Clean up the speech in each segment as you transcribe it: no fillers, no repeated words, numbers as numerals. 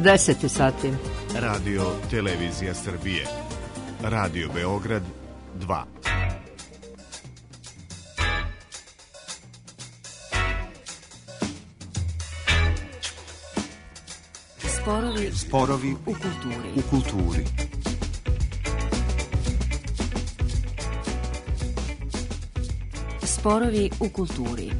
10 sati. Radio Televizija Srbije. Radio Beograd 2. Sporovi u kulturi. Sporovi u kulturi.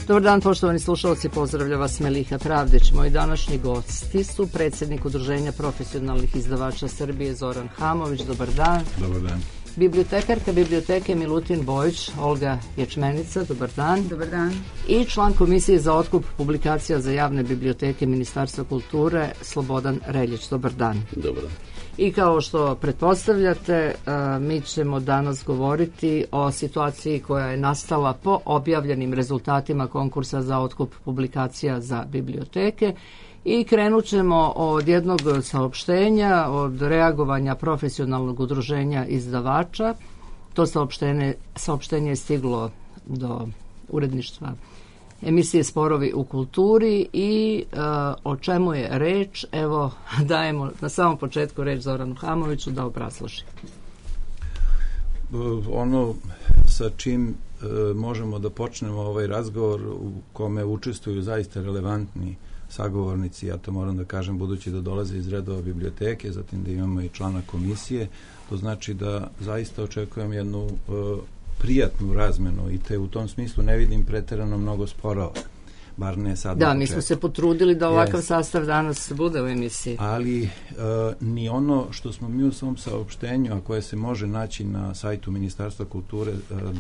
Dobar dan, poštovani slušalci, pozdravlja vas Meliha Pravdić. Moji današnji gosti su predsjednik Udruženja profesionalnih izdavača Srbije Zoran Hamović. Dobar dan. Dobar dan. Bibliotekarka Biblioteke Milutin Bojić, Olga Ječmenica. Dobar dan. Dobar dan. I član Komisije za otkup publikacija za javne biblioteke Ministarstva kulture Slobodan Reljić. Dobar dan. Dobar dan. I kao što pretpostavljate, mi ćemo danas govoriti o situaciji koja je nastala po objavljenim rezultatima konkursa za otkup publikacija za biblioteke i krenut ćemo od jednog saopštenja, od reagovanja profesionalnog udruženja izdavača. To saopštenje je stiglo do uredništva emisije Sporovi u kulturi i o čemu je reč, evo dajemo na samom početku reč Zoranu Hamoviću da obrazloži. Ono sa čim možemo da počnemo ovaj razgovor u kome učestvuju zaista relevantni sagovornici, ja to moram da kažem budući da dolaze iz redova biblioteke, zatim da imamo i člana komisije, to znači da zaista očekujem jednu prijatnu razmenu i te u tom smislu ne vidim preterano mnogo sporova, bar ne sad. Da, mi smo se potrudili da ovakav sastav danas bude u emisiji. Ali ni ono što smo mi u svom saopštenju, a koje se može naći na sajtu Ministarstva kulture,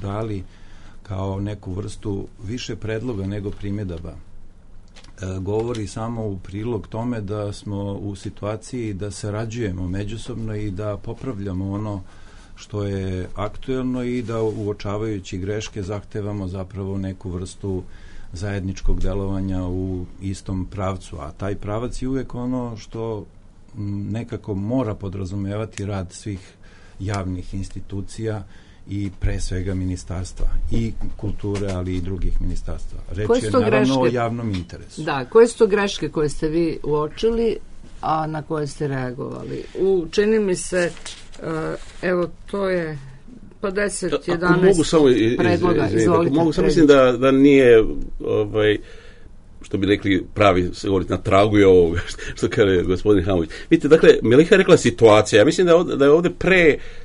dali kao neku vrstu više predloga nego primjedaba, govori samo u prilog tome da smo u situaciji da sarađujemo međusobno i da popravljamo ono što je aktuelno i da uočavajući greške zahtevamo zapravo neku vrstu zajedničkog delovanja u istom pravcu, a taj pravac je uvijek ono što nekako mora podrazumevati rad svih javnih institucija i pre svega ministarstva i kulture, ali i drugih ministarstva. Reč je naravno o javnom interesu. Da, koje su to greške koje ste vi uočili, a na koje ste reagovali? Čini mi se, evo, to je 10-11 predloga. Izvolite. Mogu samo mislim da nije, što bi rekli pravi, se govoriti na tragu je ovo, što kaže gospodin Hamović. Vidite, dakle, Meliha je rekla situacija. Ja mislim da je ovdje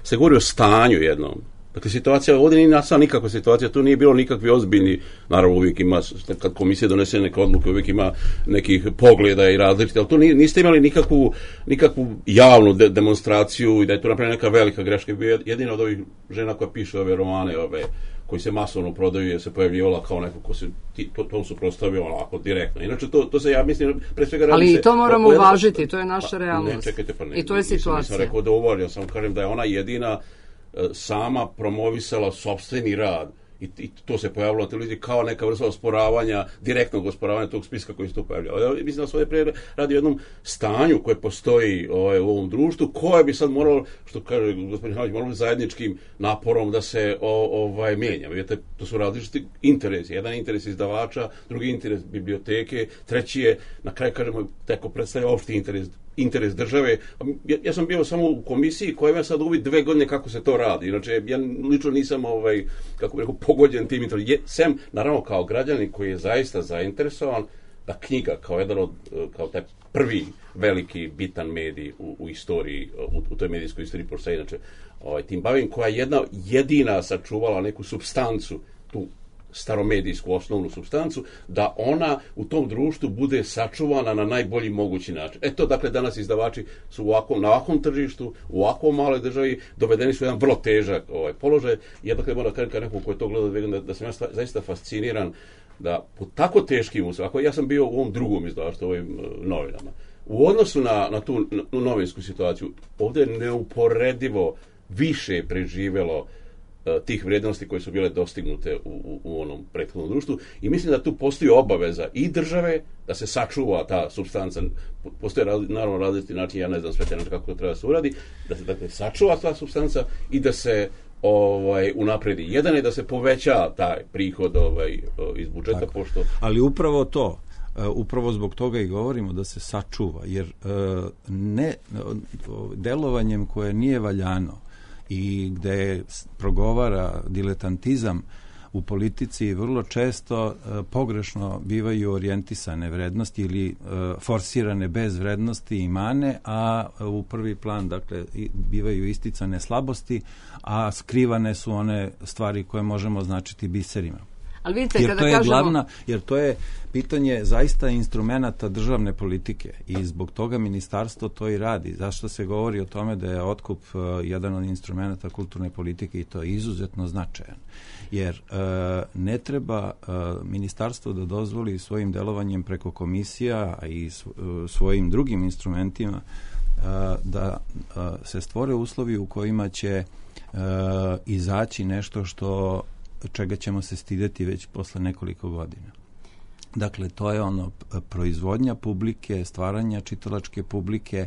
se govori o stanju jednom. Dakle, situacija, ovdje nije nastala nikakva situacija, tu nije bilo nikakvi ozbiljni, naravno uvijek ima, kad komisija donese neke odluke, uvijek ima nekih pogleda i različite, ali tu niste imali nikakvu javnu demonstraciju i da je tu napravljena neka velika greška. Jedina od ovih žena koja piše ove romane, koji se masovno prodaju, je se pojavljivala kao neko ko se tom suprotstavio onako direktno. Inače, to se, ja mislim, pre svega radi se... Ali i to moramo uvažiti, to je naša realnost. Ne, čekajte, pa ne. I to je situacija. Nisam rekao da uvažim, ja samo kažem da je ona jedina sama promovisala sopstveni rad i to se pojavilo na televiziji kao neka vrsta osporavanja, direktnog osporavanja tog spiska koji se tu pojavljao. Mislim da se ovdje radi o jednom stanju koje postoji u ovom društvu, koje bi sad moralo, što kaže gospodin Hamović, moralo zajedničkim naporom da se mijenja. Vidite, to su različiti interesi. Jedan interes izdavača, drugi interes biblioteke, treći je, na kraju kažemo, tako predstavlja opšti interes države. Ja sam bio samo u komisiji koja ima sad uvid 2 godine kako se to radi. Inače, ja lično nisam, kako bih rekao, pogođen tim interesom. Sem, naravno, kao građanin koji je zaista zainteresovan da knjiga kao taj prvi veliki bitan medij u istoriji, u toj medijskoj istoriji, pošto se inače tim bavim, koja je jedina sačuvala neku supstancu, tu staromedijsku osnovnu supstancu, da ona u tom društvu bude sačuvana na najbolji mogući način. Eto, dakle, danas izdavači su na ovakvom tržištu, u ovakvom maloj državi, dovedeni su jedan vrlo težak položaj. Ja dakle moram kažem, kao neko koji je to gledao, da sam ja zaista fasciniran da po tako teškim uslovima, ja sam bio u ovom drugom izdavaštvu, ovim novinama, u odnosu na tu novinsku situaciju, ovdje je neuporedivo više preživjelo tih vrijednosti koje su bile dostignute u onom prethodnom društvu i mislim da tu postoji obaveza i države da se sačuva ta supstanca. Postoje naravno različiti način, ja ne znam sve te način kako to treba se uradi, da se dakle sačuva ta supstanca i da se unapredi. Jedan je da se poveća taj prihod iz budžeta, tako. Pošto... Ali upravo to, upravo zbog toga i govorimo da se sačuva, jer delovanjem koje nije valjano i gde progovara diletantizam u politici vrlo često pogrešno bivaju orijentisane vrednosti ili forsirane bez vrednosti i mane, a u prvi plan dakle bivaju isticane slabosti, a skrivane su one stvari koje možemo označiti biserima. Ali vidite, jer to je pitanje zaista instrumenata državne politike i zbog toga ministarstvo to i radi. Zašto se govori o tome da je otkup jedan od instrumenata kulturne politike i to je izuzetno značajan. Jer ne treba ministarstvo da dozvoli svojim delovanjem preko komisija i svojim drugim instrumentima da se stvore uslovi u kojima će izaći nešto čega ćemo se stideti već posle nekoliko godina. Dakle, to je proizvodnja publike, stvaranja čitalačke publike,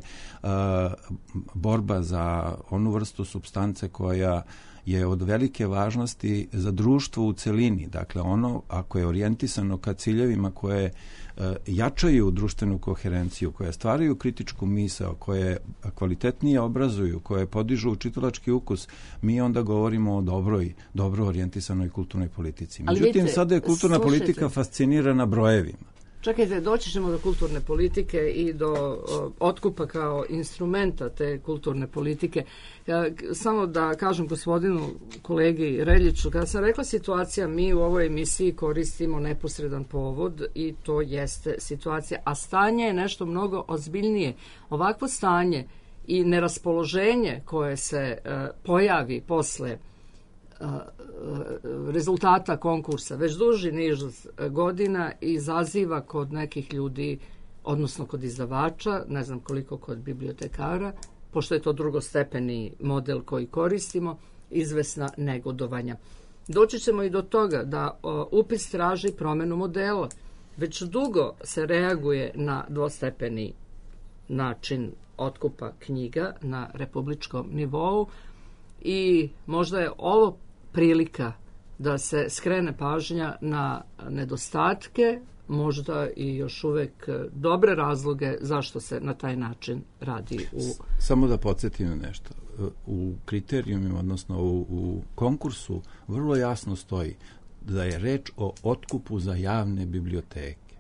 borba za onu vrstu supstance koja je od velike važnosti za društvo u celini. Dakle, ako je orijentisano ka ciljevima koje jačaju društvenu koherenciju, koje stvaraju kritičku misao, koje kvalitetnije obrazuju, koje podižu čitalački ukus, mi onda govorimo o dobro orijentisanoj kulturnoj politici. Međutim, sada je kulturna politika fascinirana brojevima. Čekajte, doći ćemo do kulturne politike i do otkupa kao instrumenta te kulturne politike. Samo da kažem gospodinu kolegi Reljiću, kada sam rekla situacija, mi u ovoj emisiji koristimo neposredan povod i to jeste situacija, a stanje je nešto mnogo ozbiljnije. Ovakvo stanje i neraspoloženje koje se pojavi posle rezultata konkursa već duži niz godina izaziva kod nekih ljudi, odnosno kod izdavača, ne znam koliko kod bibliotekara, pošto je to drugostepeni model koji koristimo, izvesna negodovanja. Doći ćemo i do toga da upis traži promenu modela. Već dugo se reaguje na dvostepeni način otkupa knjiga na republičkom nivou i možda je ovo prilika da se skrene pažnja na nedostatke, možda i još uvek dobre razloge zašto se na taj način radi. Samo da podsjetim na nešto. U kriterijumima, odnosno u konkursu, vrlo jasno stoji da je reč o otkupu za javne biblioteke.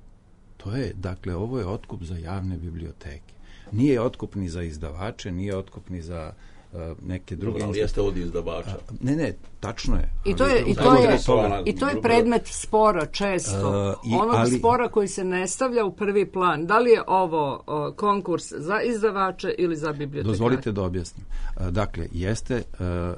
Ovo je otkup za javne biblioteke. Nije otkup ni za izdavače, nije otkup ni za neke druge. Ali jeste od izdavača. Ne, tačno je. I to je predmet spora često. Spora koji se ne stavlja u prvi plan. Da li je ovo konkurs za izdavače ili za bibliotekare? Dozvolite da objasnim. Dakle,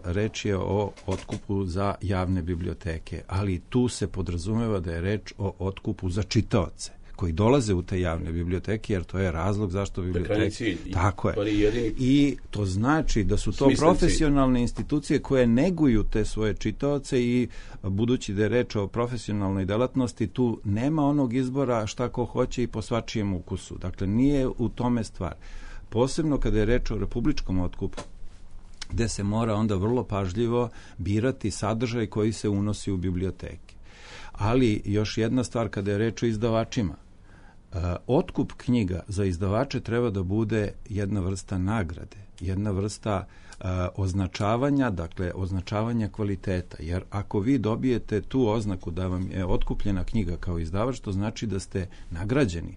reč je o otkupu za javne biblioteke, ali tu se podrazumeva da je reč o otkupu za čitaoce koji dolaze u te javne biblioteke, jer to je razlog zašto biblioteke... Tako je. I to znači da su to profesionalne institucije koje neguju te svoje čitaoce i budući da je reč o profesionalnoj delatnosti, tu nema onog izbora šta ko hoće i po svačijem ukusu. Dakle, nije u tome stvar. Posebno kada je reč o republičkom otkupu, gde se mora onda vrlo pažljivo birati sadržaj koji se unosi u biblioteke. Ali još jedna stvar kada je reč o izdavačima. Otkup knjiga za izdavače treba da bude jedna vrsta nagrade, jedna vrsta označavanja, dakle označavanja kvaliteta, jer ako vi dobijete tu oznaku da vam je otkupljena knjiga kao izdavač, to znači da ste nagrađeni,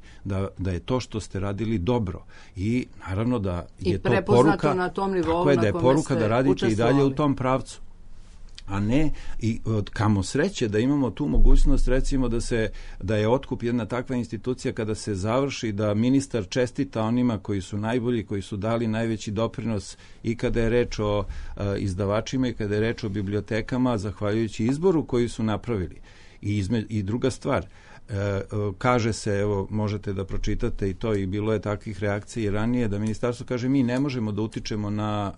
da je to što ste radili dobro i naravno da je to poruka, na tom nivou da je poruka da radite i dalje u tom pravcu. A ne, i kamo sreće da imamo tu mogućnost, recimo da je otkup jedna takva institucija kada se završi, da ministar čestita onima koji su najbolji, koji su dali najveći doprinos i kada je reč o izdavačima i kada je reč o bibliotekama, zahvaljujući izboru koji su napravili. I druga stvar, kaže se, evo možete da pročitate i to, i bilo je takvih reakcija i ranije, da ministarstvo kaže mi ne možemo da utičemo na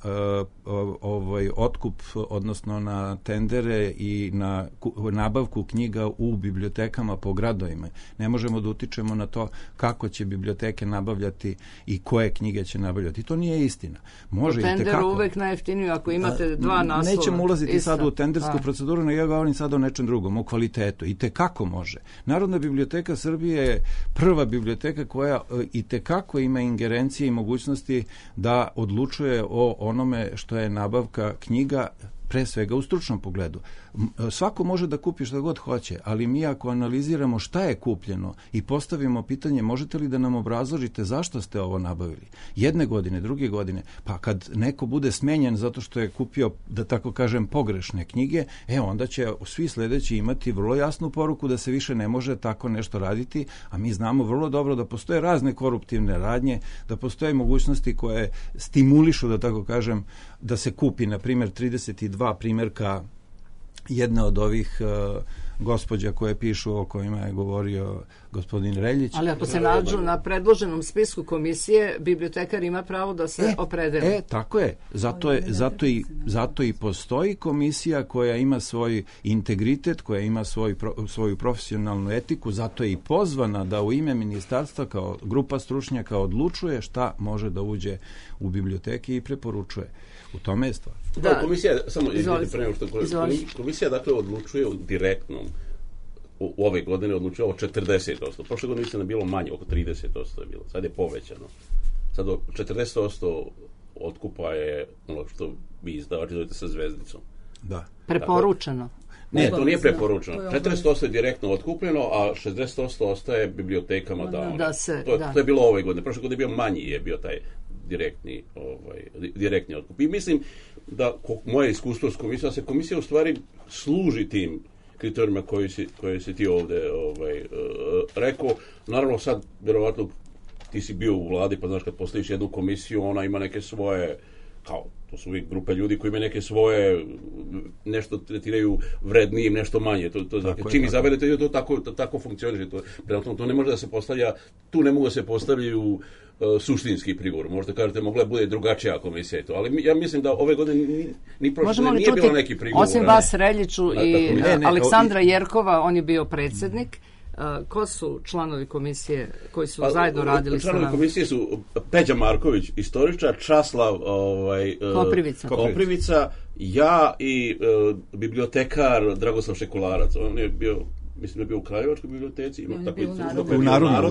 otkup, odnosno na tendere i na nabavku knjiga u bibliotekama po gradovima. Ne možemo da utičemo na to kako će biblioteke nabavljati i koje knjige će nabavljati. To nije istina. Može tender uvek najjeftiniju ako imate dva naslova. Nećemo ulaziti sad u tendersku proceduru, nego ja govorim sad o nečem drugom, o kvalitetu. I tekako može. Narodna biblioteka Srbije je prva biblioteka koja i tekako ima ingerencije i mogućnosti da odlučuje o onome što je nabavka knjiga, pre svega u stručnom pogledu. Svako može da kupi što god hoće, ali mi ako analiziramo šta je kupljeno i postavimo pitanje možete li da nam obrazložite zašto ste ovo nabavili, jedne godine, druge godine, pa kad neko bude smenjen zato što je kupio, da tako kažem, pogrešne knjige, onda će svi sledeći imati vrlo jasnu poruku da se više ne može tako nešto raditi, a mi znamo vrlo dobro da postoje razne koruptivne radnje, da postoje mogućnosti koje stimulišu, da tako kažem, da se kupi, na primjer, 32 primjerka jedne od ovih gospođa koje pišu, o kojima je govorio gospodin Reljić. Ali ako se nađu na predloženom spisku komisije, bibliotekar ima pravo da se opredeli. Tako je. Zato i postoji komisija koja ima svoj integritet, koja ima svoju profesionalnu etiku, zato je i pozvana da u ime ministarstva kao grupa stručnjaka odlučuje šta može da uđe u biblioteki i preporučuje. U tome je stvar. Da. Komisija dakle odlučuje direktno u ove godine odlučuje o 40%. Prošle godine mislim da je bilo manje, oko 30% je bilo. Sad je povećano. Sad 40% otkupa je ono što vi izdavači zovete sa zvezdicom. Da. Preporučeno. Ne, to nije preporučeno. 40% je direktno otkupljeno, a 60% ostaje bibliotekama da to je bilo ove godine. Prošle godine je bio manji, je bio taj direktni otkup. I mislim da moje iskustvo s komisijom, da se komisija u stvari služi tim kriterijima koje si ti ovde rekao. Naravno sad, verovatno, ti si bio u vladi, pa znaš kad postaviš jednu komisiju, ona ima neke svoje, kao, to su uvijek grupe ljudi koji imaju neke svoje, nešto tretiraju vrednijim, nešto manje. Čim izaberete, to tako funkcioniše. To ne može da se postavlja, tu ne mogu da se postavljaju suštinski prigovor. Možda kažete, mogla je bude drugačija komisija i to, ali ja mislim da ove godine ni prošle nije bilo neki prigovor. Osim vas, Reljiću i Aleksandra Jerkova, on je bio predsjednik. Ko su članovi komisije koji su zajedno radili sa nama? Članovi komisije su Peđa Marković, istoričar, Časlav Koprivica, ja i bibliotekar Dragoslav Šekularac. On je bio, mislim da je bio u Kraljevačkoj biblioteci, u Narodnoj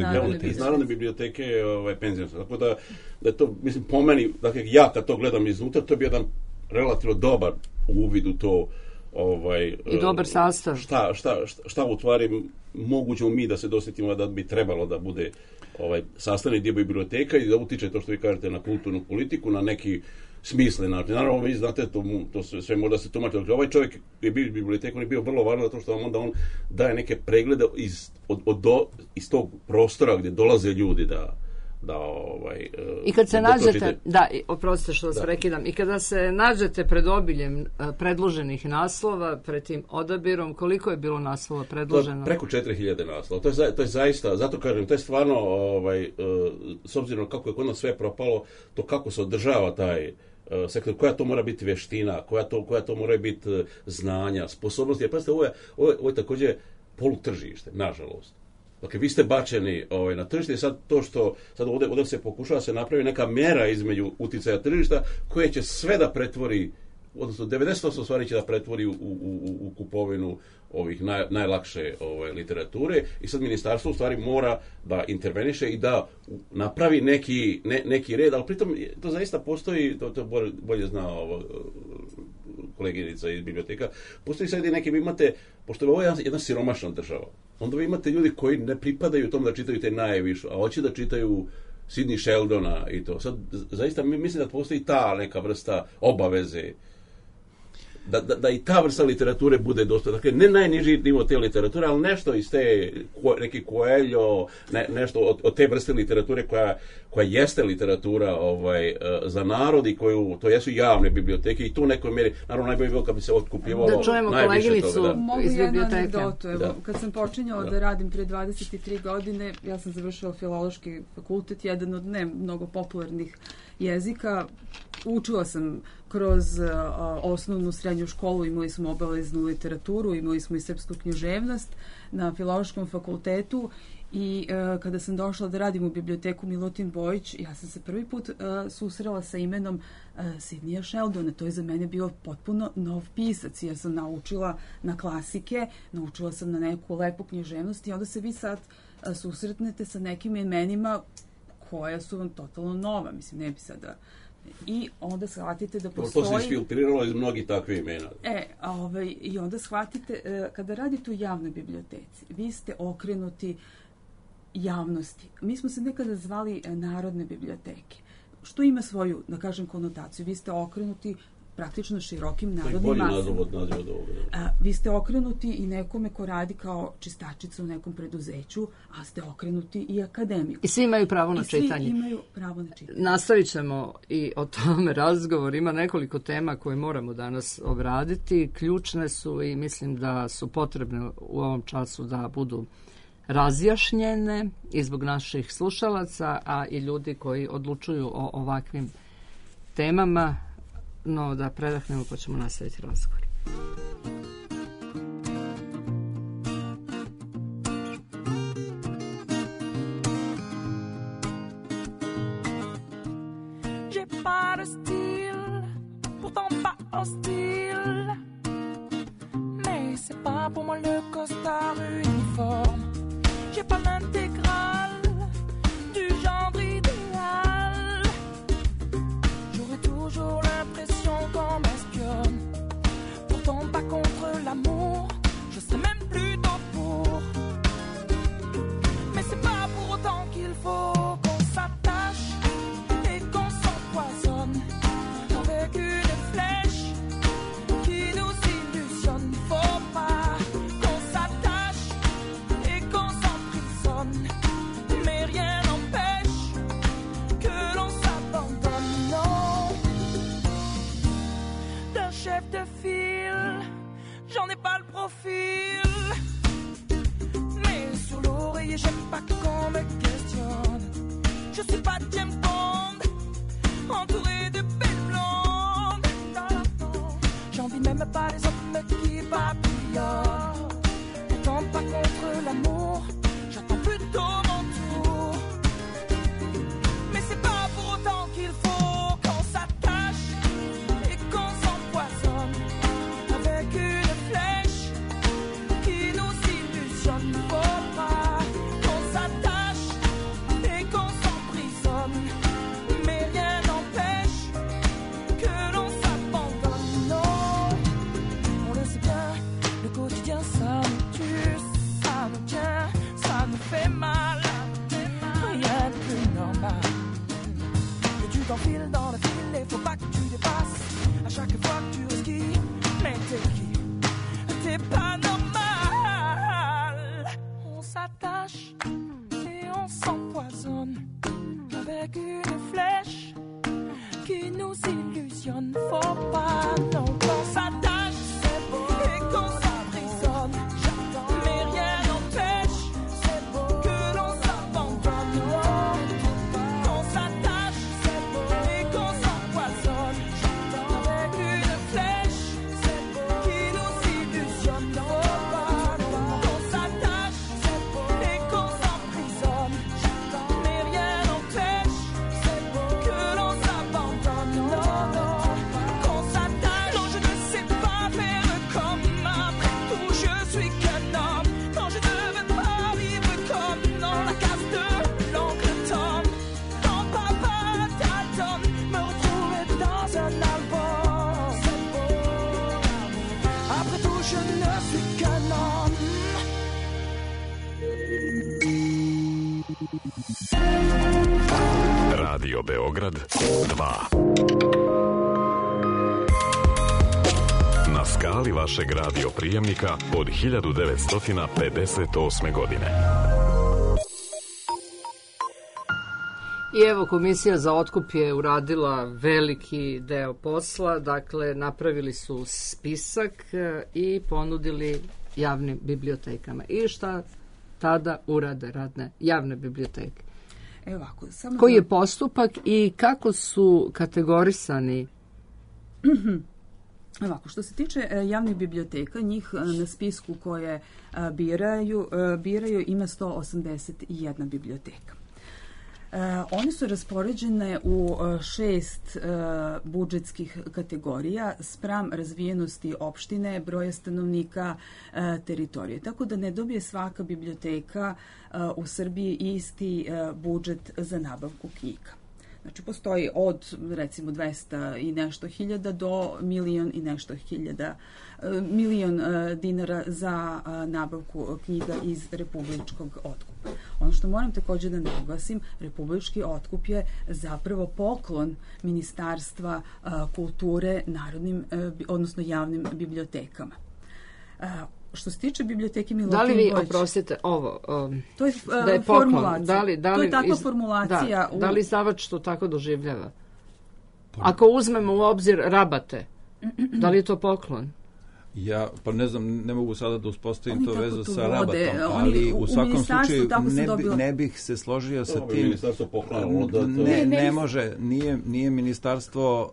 biblioteci. Iz Narodne biblioteke penzionska. Tako da je to, mislim, po meni, dakle, ja kad to gledam iznutra, to je bio jedan relativno dobar uvid u to. I dobar sastav. Šta u stvari moguće mi da se dosjetimo da bi trebalo da bude sastavni dio biblioteka i da utiče to što vi kažete na kulturnu politiku, na neki smislen način. Naravno, vi znate, to sve možda se tumači. Ovaj čovjek je bio bibliotek, on je bio vrlo važan zato što onda on daje neke preglede iz tog prostora gdje dolaze ljudi i kad se nađete, oprostite što vas prekidam, i kada se nađete pred obiljem predloženih naslova, pred tim odabirom, koliko je bilo naslova predloženo? Preko 4000 naslova. To je zaista, zato kažem, to je stvarno, s obzirom kako je kod nas sve propalo, to kako se održava taj sektor, koja to mora biti vještina, koja to mora biti znanja, sposobnosti. Jer pazite, ovo je također polutržište, nažalost. Dakle, vi ste bačeni na tržište i sad to što sad ovdje se pokušava se napravi neka mjera između uticaja tržišta koje će sve da pretvori, odnosno 90% stvari će da pretvori u kupovinu ovih najlakše literature i sad ministarstvo u stvari mora da interveniše i da napravi neki red, ali pritom to zaista postoji, to bolje zna koleginica iz biblioteka, postoji sad i neki, vi imate, pošto je ovo jedna siromašna država, onda vi imate ljudi koji ne pripadaju tom da čitaju te najviše, a hoće da čitaju Sidney Sheldona i to. Sad, zaista, mislim da postoji ta neka vrsta obaveze da i ta vrsta literature bude dostupna. Dakle, ne najniži nivo te literature, ali nešto iz te, neki Coelho, nešto od te vrste literature koja jeste literatura za narod i to jesu javne biblioteke i tu u nekoj mjeri, naravno najbolje bilo kad bi se otkupljivalo da čujemo koleginicu iz biblioteke. Anegdotu. Evo, kad sam počinjala da radim prije 23 godine, ja sam završila filološki fakultet, jedan od ne mnogo popularnih jezika. Učila sam kroz osnovnu srednju školu, imali smo obaveznu literaturu, imali smo i srpsku književnost na filološkom fakultetu i kada sam došla da radim u biblioteku Milutin Bojić, ja sam se prvi put susrela sa imenom Sidneya Sheldona. To je za mene bio potpuno nov pisac, jer sam naučila na klasike, naučila sam na neku lepu književnost i onda se vi sad susretnete sa nekim imenima koja su vam totalno nova. Mislim, ne bi sada... I onda shvatite da postoji... To se isfiltriralo iz mnogih takvih imena. I onda shvatite, kada radite u javnoj biblioteci, vi ste okrenuti javnosti. Mi smo se nekada zvali narodne biblioteke, što ima svoju, da kažem, konotaciju. Vi ste okrenuti praktično širokim narodnim masama. Vi ste okrenuti i nekome ko radi kao čistačica u nekom preduzeću, a ste okrenuti i akademiku. I svi imaju pravo na čitanje. Svi imaju pravo na čitanje. Nastavit ćemo i o tome razgovor. Ima nekoliko tema koje moramo danas obraditi. Ključne su i mislim da su potrebne u ovom času da budu razjašnjene i zbog naših slušalaca, a i ljudi koji odlučuju o ovakvim temama. No, da predahnemo pa ćemo nastaviti razgovor. J'ai pas de style, pourtant pas hostile, mais c'est pas pour moi le costard uniforme. J'ai pas l'intégrale du genre idéal. J'aurais toujours l'impression qu'on m'espionne. Pourtant pas contre l'amour, je serais même plutôt pour. Mais c'est pas pour autant qu'il faut qu'on s'attache et qu'on s'empoisonne avec une flèche qui nous illusionne. Faut pas qu'on s'attache et qu'on s'emprisonne, mais rien n'empêche que l'on s'abandonne. Non, d'un chef de file, j'en ai pas le profil, mais sur l'oreiller j'aime pas qu'on me questionne. Je suis pas James Bond, entouré de belles blondes. J'envie même pas les hommes qui papillonnent. Pourtant pas contre l'amour, j'attends plutôt mon tour. Mais c'est pas pour autant qu'il faut qu'on s'attache et qu'on s'empoisonne avec une flèche qui nous illusionne. Faut pas qu'on s'attache et qu'on s'emprisonne, mais rien n'empêche que l'on s'abandonne. Non, on le sait bien, le quotidien ça nous tue, ça nous tient, ça nous fait mal. Rien de plus normal. Que tu t'enfiles dans la file et faut pas que tu dépasses. À chaque fois que tu risques, mais t'es qui? T'es pas normal. On s'attache et on s'empoisonne avec une flèche qui nous illusionne. Faut pas non qu'on s'attache et qu'on s'emprisonne, mais rien n'empêche que l'on s'abandonne. Qu'on s'attache et qu'on s'empoisonne avec une flèche qui nous illusionne. Faut pas qu'on s'attache et qu'on s'emprisonne, mais rien n'empêche que l'on s'abandonne. Non, non, qu'on s'attache. Non, je ne sais pas faire comme après tout, je suis qu'un homme. Non, je ne veux pas vivre comme dans la case de l'oncle Tom. Quand papa Dalton me retrouvait dans un album. Après tout, je ne suis qu'un homme. Radio Beograd 2. Na skali vašeg radio prijemnika od 1958. godine. I evo, Komisija za otkup je uradila veliki deo posla, dakle napravili su spisak i ponudili javnim bibliotekama. I šta tada urade radne javne biblioteke? Ovako, koji je postupak i kako su kategorisani? Ovako, što se tiče javnih biblioteka, njih na spisku koje biraju ima 181 biblioteka. One su raspoređene u 6 budžetskih kategorija spram razvijenosti opštine, broja stanovnika, teritorije. Tako da ne dobije svaka biblioteka u Srbiji isti budžet za nabavku knjiga. Znači, postoji od, recimo, 200 i nešto hiljada do milion i nešto hiljada, milion dinara za nabavku knjiga iz republičkog otkupa. Ono što moram također da naglasim, republički otkup je zapravo poklon Ministarstva kulture narodnim, odnosno javnim bibliotekama. Što se tiče biblioteke Milutin Bojić... Da li vi, oprostite, ovo, to je, da je formulacija. To je takva formulacija. Da li izdavač to tako doživljava? Ako uzmemo u obzir rabate, da li je to poklon? Ja, pa ne znam, ne mogu sada da uspostavim to vezu sa rabatom, ali u svakom slučaju ne bih se složio sa tim. Ne može, nije ministarstvo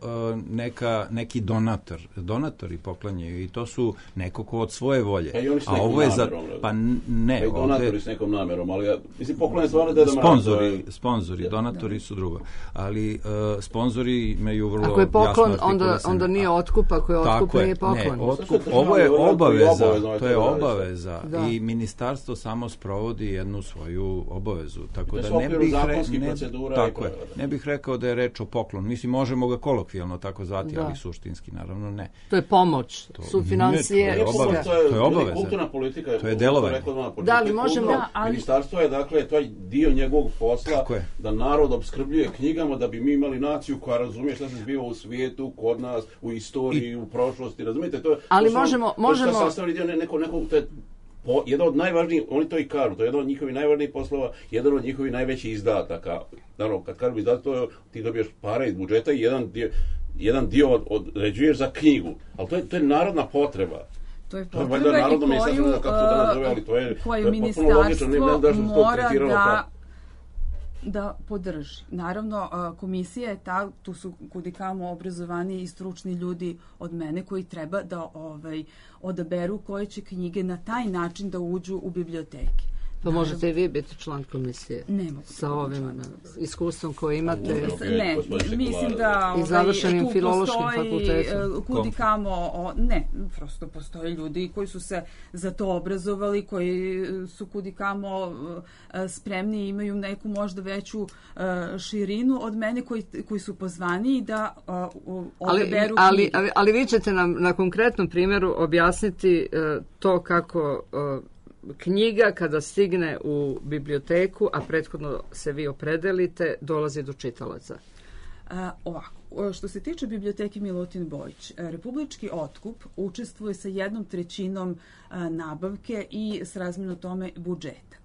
neki donator. Donatori poklanjaju i to su neko ko od svoje volje. A ovo je za... Pa ne. Donatori s nekom namerom, ali mislim poklanje stvarno da Sponzori, donatori su drugo. Ali sponzori imaju vrlo... Ako je poklon, onda nije otkup, ako je otkup, nije poklon. Ovo je obaveza, to je obaveza i ministarstvo samo sprovodi jednu svoju obavezu. Tako da ne bih rekao da je reč o poklonu. Mislim, možemo ga kolokvijalno tako zvati, ali suštinski, naravno, ne. To je pomoć, sufinancije. To je obaveza. Kulturna politika, to je delovanje. Da li možemo... Ministarstvo je, dakle, to je dio njegovog posla da narod opskrbljuje knjigama da bi mi imali naciju koja razumije šta se zbiva u svijetu, kod nas, u istoriji, u prošlosti, razumijete? Ali možemo... To je sastavni dio to je jedan od najvažnijih, oni to i kažu, to je jedan od njihovih najvažnijih poslova, jedan od njihovih najvećih izdataka. Naravno, kad kažem izdatak, ti dobiješ pare iz budžeta i jedan dio određuješ za knjigu. Ali to je narodna potreba. To je potreba koju ministarstvo mora da podrži. Naravno, komisija je ta, tu su kudikamo obrazovani i stručni ljudi od mene koji treba da odaberu koje će knjige na taj način da uđu u biblioteke. Pa možete i vi biti član komisije? Ne mogu. Sa ovim iskustvom koje imate? Ne, mislim da i završenim filološkim fakultetom. Kudikamo, ne, prosto postoje ljudi koji su se za to obrazovali, koji su kudikamo spremni i imaju neku možda veću širinu od mene koji su pozvani da odaberu knjige. Ali vi ćete nam na konkretnom primjeru objasniti to kako knjiga kada stigne u biblioteku, a prethodno se vi opredelite, dolazi do čitalaca. Ovako, što se tiče biblioteke Milutin Bojić, republički otkup učestvuje sa 1/3 nabavke i srazmjerno tome budžeta.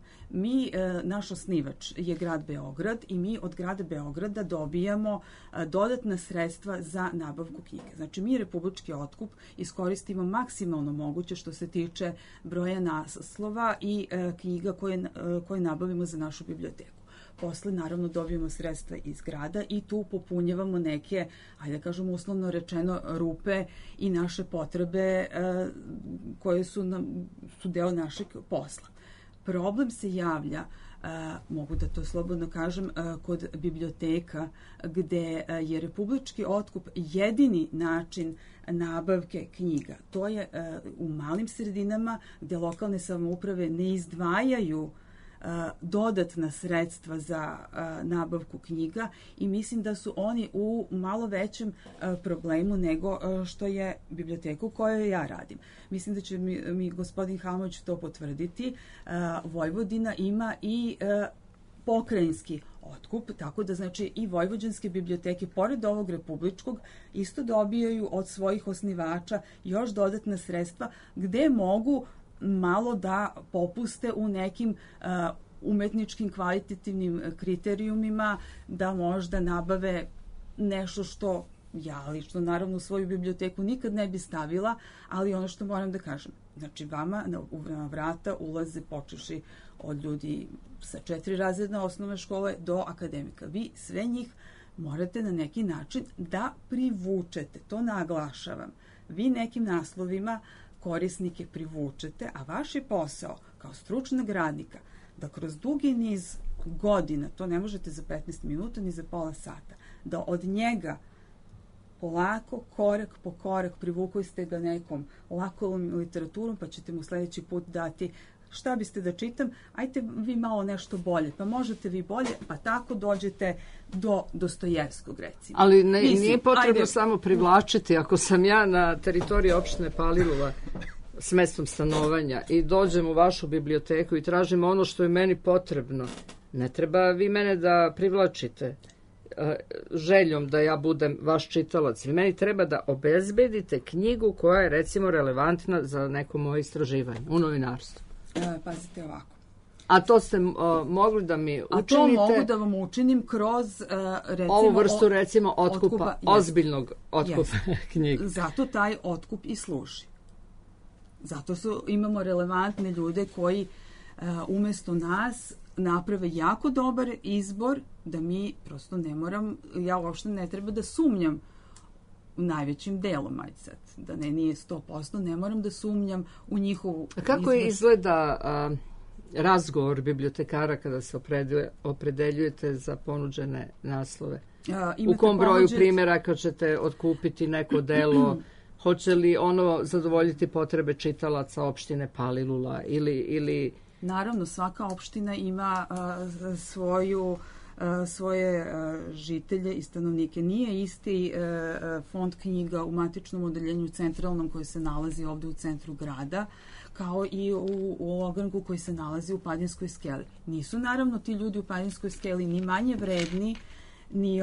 Naš osnivač je grad Beograd i mi od grada Beograda dobijamo dodatna sredstva za nabavku knjige. Znači, mi republički otkup iskoristimo maksimalno moguće što se tiče broja naslova i knjiga koje nabavimo za našu biblioteku. Posle, naravno, dobijemo sredstva iz grada i tu popunjavamo neke, ajde da kažemo uslovno rečeno, rupe i naše potrebe koje su deo našeg posla. Problem se javlja, mogu da to slobodno kažem, kod biblioteka gde je republički otkup jedini način nabavke knjiga. To je u malim sredinama gde lokalne samouprave ne izdvajaju dodatna sredstva za nabavku knjiga i mislim da su oni u malo većem problemu nego što je biblioteka u kojoj ja radim. Mislim da će mi gospodin Halmović to potvrditi. Vojvodina ima i pokrajinski otkup, tako da znači i vojvođanske biblioteke, pored ovog republičkog, isto dobijaju od svojih osnivača još dodatna sredstva gde mogu malo da popuste u nekim umetničkim kvalitativnim kriterijumima, da možda nabave nešto što ja lično naravno u svoju biblioteku nikad ne bi stavila, ali ono što moram da kažem, znači vama na vrata ulaze počeši od ljudi sa 4 razredne osnovne škole do akademika. Vi sve njih morate na neki način da privučete, to naglašavam. Vi nekim naslovima korisnike privučete, a vaš je posao kao stručnog radnika da kroz dugi niz godina, to ne možete za 15 minuta ni za pola sata, da od njega polako, korak po korak privukli ste ga nekom lakolom literaturom, pa ćete mu sledeći put dati šta biste da čitam, ajte vi malo nešto bolje, pa možete vi bolje, pa tako dođete do Dostojevskog, recimo. Ali nije potrebno samo privlačiti. Ako sam ja na teritoriji opštine Palilula s mestom stanovanja i dođem u vašu biblioteku i tražim ono što je meni potrebno, ne treba vi mene da privlačite željom da ja budem vaš čitalac. Vi meni treba da obezbedite knjigu koja je recimo relevantna za neko moje istraživanje u novinarstvu. Pazite ovako. A to ste mogli da mi učinite? A to mogu da vam učinim kroz recimo... Ovu vrstu recimo otkupa ozbiljnog otkupa knjiga. Zato taj otkup i služi. Zato imamo relevantne ljude koji umesto nas naprave jako dobar izbor, da mi prosto ne moram, ja uopšte ne treba da sumnjam najvećim delom, ajde sad, da nije 100%, ne moram da sumnjam u njihovu... A kako izgleda razgovor bibliotekara kada se opredeljujete za ponuđene naslove? U kom broju primjeraka ćete otkupiti neko delo? Hoće li ono zadovoljiti potrebe čitalaca opštine Palilula ili... Naravno, svaka opština ima svoje žitelje i stanovnike. Nije isti fond knjiga u matičnom odeljenju centralnom koji se nalazi ovde u centru grada, kao i u ogranku koji se nalazi u Padinskoj skeli. Nisu naravno ti ljudi u Padinskoj skeli ni manje vredni, ni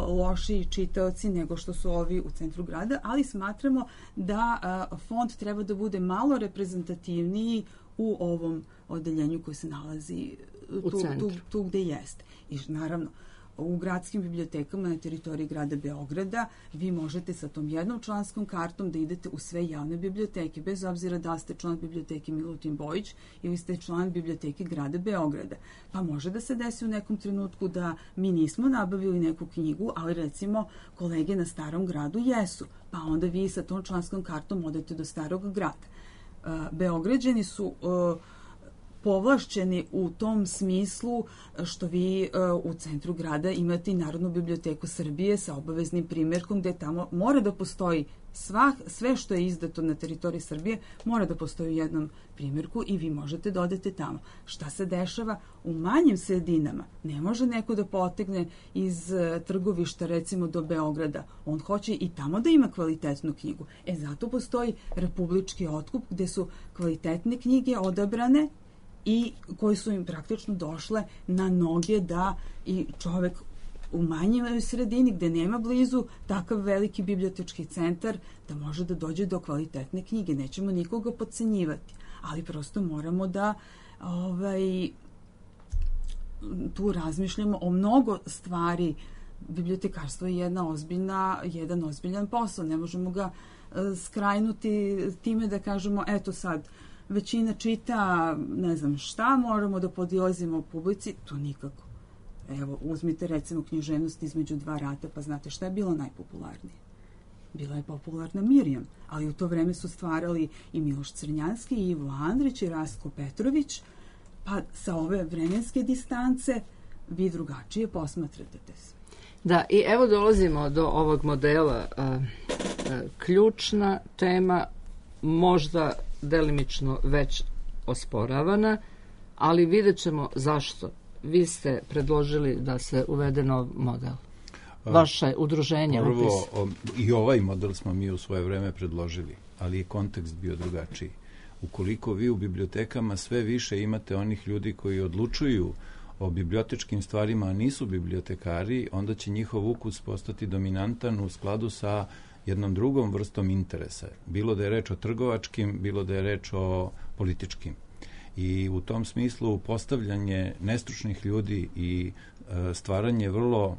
lošiji čitaoci nego što su ovi u centru grada, ali smatramo da fond treba da bude malo reprezentativniji u ovom odeljenju koji se nalazi tu gde jeste. I naravno, u gradskim bibliotekama na teritoriji grada Beograda vi možete sa tom jednom članskom kartom da idete u sve javne biblioteke, bez obzira da ste član biblioteke Milutin Bojić ili ste član biblioteke grada Beograda. Pa može da se desi u nekom trenutku da mi nismo nabavili neku knjigu, ali recimo kolege na Starom gradu jesu. Pa onda vi sa tom članskom kartom odete do Starog grada. Beograđani su povlašćeni u tom smislu što vi u centru grada imate i Narodnu biblioteku Srbije sa obaveznim primjerkom gde tamo mora da postoji sve što je izdato na teritoriji Srbije mora da postoji u jednom primjerku i vi možete da odete tamo. Šta se dešava u manjim sredinama? Ne može neko da potegne iz Trgovišta recimo do Beograda. On hoće i tamo da ima kvalitetnu knjigu. Zato postoji republički otkup gde su kvalitetne knjige odabrane i koji su im praktično došle na noge da i čovek u manjoj sredini gde nema blizu takav veliki bibliotečki centar da može da dođe do kvalitetne knjige. Nećemo nikoga podcenjivati, ali prosto moramo da tu razmišljamo o mnogo stvari. Bibliotekarstvo je jedan ozbiljan posao. Ne možemo ga skrajnuti time da kažemo eto sad većina čita, ne znam šta, moramo da podilazimo publici, to nikako. Evo, uzmite recimo književnost između dva rata, pa znate šta je bilo najpopularnije? Bila je popularna Mirjam, ali u to vreme su stvarali i Miloš Crnjanski, i Ivo Andrić, i Rastko Petrović, pa sa ove vremenske distance vi drugačije posmatrate se. Da, i evo dolazimo do ovog modela. Ključna tema, možda delimično već osporavana, ali vidjet ćemo zašto. Vi ste predložili da se uvede nov model. Vaše udruženje. Prvo, i ovaj model smo mi u svoje vreme predložili, ali je kontekst bio drugačiji. Ukoliko vi u bibliotekama sve više imate onih ljudi koji odlučuju o bibliotečkim stvarima, a nisu bibliotekari, onda će njihov ukus postati dominantan u skladu sa jednom drugom vrstom interesa. Bilo da je reč o trgovačkim, bilo da je reč o političkim. I u tom smislu postavljanje nestručnih ljudi i stvaranje vrlo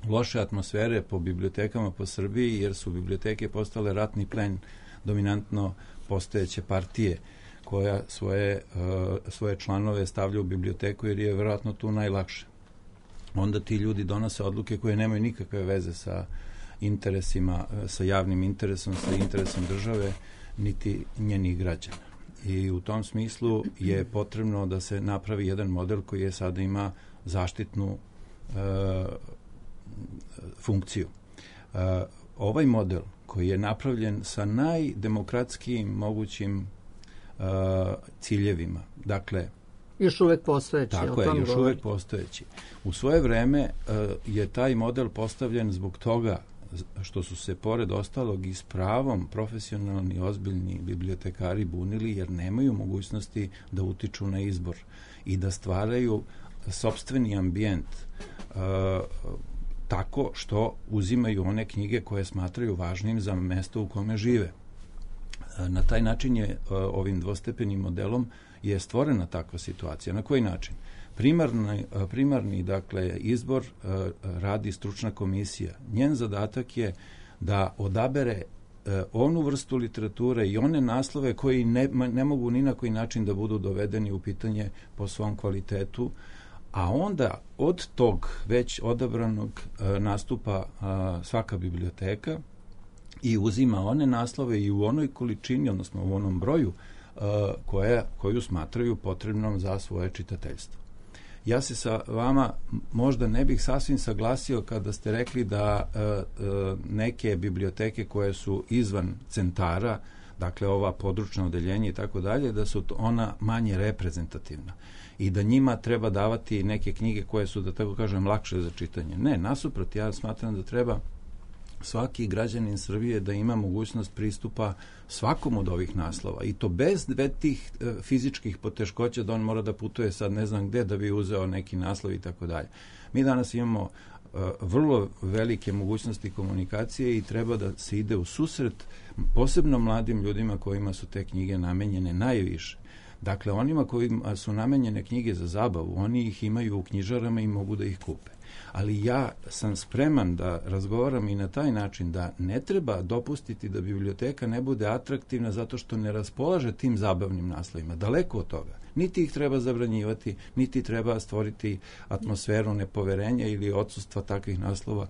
loše atmosfere po bibliotekama po Srbiji, jer su biblioteke postale ratni plen dominantno postojeće partije koja svoje članove stavlja u biblioteku jer je verovatno tu najlakše. Onda ti ljudi donose odluke koje nemaju nikakve veze sa interesima, sa javnim interesom, sa interesom države, niti njenih građana. I u tom smislu je potrebno da se napravi jedan model koji je sada ima zaštitnu funkciju. Ovaj model koji je napravljen sa najdemokratskijim mogućim ciljevima, dakle još uvek postojeći. Tako je, još uvek postojeći. U svoje vreme je taj model postavljen zbog toga što su se pored ostalog i s pravom profesionalni, ozbiljni bibliotekari bunili jer nemaju mogućnosti da utiču na izbor i da stvaraju sopstveni ambijent tako što uzimaju one knjige koje smatraju važnim za mesto u kome žive. Na taj način je ovim dvostepenim modelom je stvorena takva situacija. Na koji način? Primarni dakle, izbor radi stručna komisija. Njen zadatak je da odabere onu vrstu literature i one naslove koji ne mogu ni na koji način da budu dovedeni u pitanje po svom kvalitetu, a onda od tog već odabranog nastupa svaka biblioteka i uzima one naslove i u onoj količini, odnosno u onom broju koju smatraju potrebnom za svoje čitateljstvo. Ja se sa vama možda ne bih sasvim saglasio kada ste rekli da neke biblioteke koje su izvan centara, dakle ova područna odeljenja i tako dalje, da su ona manje reprezentativna i da njima treba davati neke knjige koje su, da tako kažem, lakše za čitanje. Ne, nasuprot, ja smatram da treba svaki građanin Srbije da ima mogućnost pristupa svakom od ovih naslova i to bez tih fizičkih poteškoća da on mora da putuje sad ne znam gde da bi uzeo neki naslov i tako dalje. Mi danas imamo vrlo velike mogućnosti komunikacije i treba da se ide u susret posebno mladim ljudima kojima su te knjige namenjene najviše. Dakle, onima kojima su namenjene knjige za zabavu, oni ih imaju u knjižarama i mogu da ih kupe. Ali ja sam spreman da razgovaram i na taj način da ne treba dopustiti da biblioteka ne bude atraktivna zato što ne raspolaže tim zabavnim naslovima. Daleko od toga. Niti ih treba zabranjivati, niti treba stvoriti atmosferu nepoverenja ili odsustva takvih naslova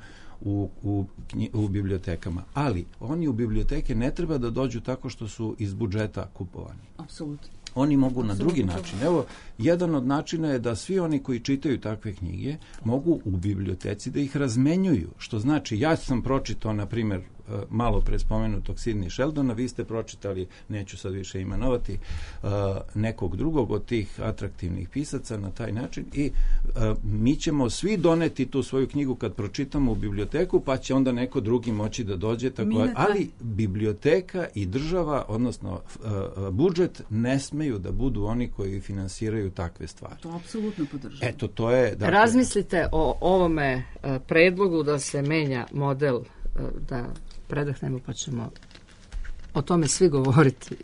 u bibliotekama. Ali oni u biblioteke ne treba da dođu tako što su iz budžeta kupovani. Apsolutno. Oni mogu na drugi način. Evo, jedan od načina je da svi oni koji čitaju takve knjige mogu u biblioteci da ih razmenjuju. Što znači, ja sam pročitao, na primjer, malo pre spomenutog Sidney Sheldona, vi ste pročitali, neću sad više imenovati, nekog drugog od tih atraktivnih pisaca na taj način i mi ćemo svi doneti tu svoju knjigu kad pročitamo u biblioteku, pa će onda neko drugi moći da dođe. Ali biblioteka i država, odnosno budžet, ne smeju da budu oni koji finansiraju takve stvari. To apsolutno podržavam. Eto, to je... Dakle, razmislite o ovome predlogu da se menja model, da predahnemo pa ćemo o tome svi govoriti.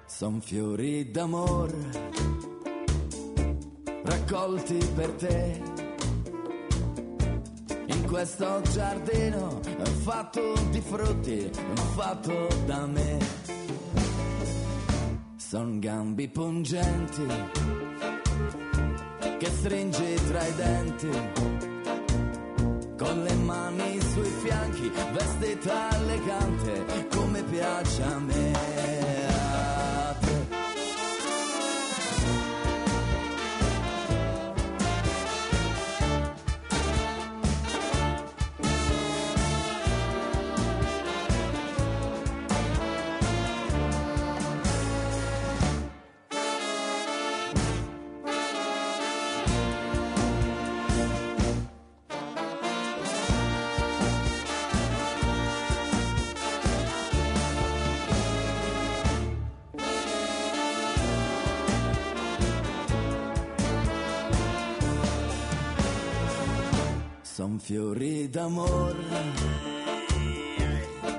Son fiori d'amor raccolti per te in questo giardino fatto di frutti, fatto da me. Son gambi pungenti che stringi tra i denti, con le mani sui fianchi, vestita elegante come piace a me. Son fiori d'amore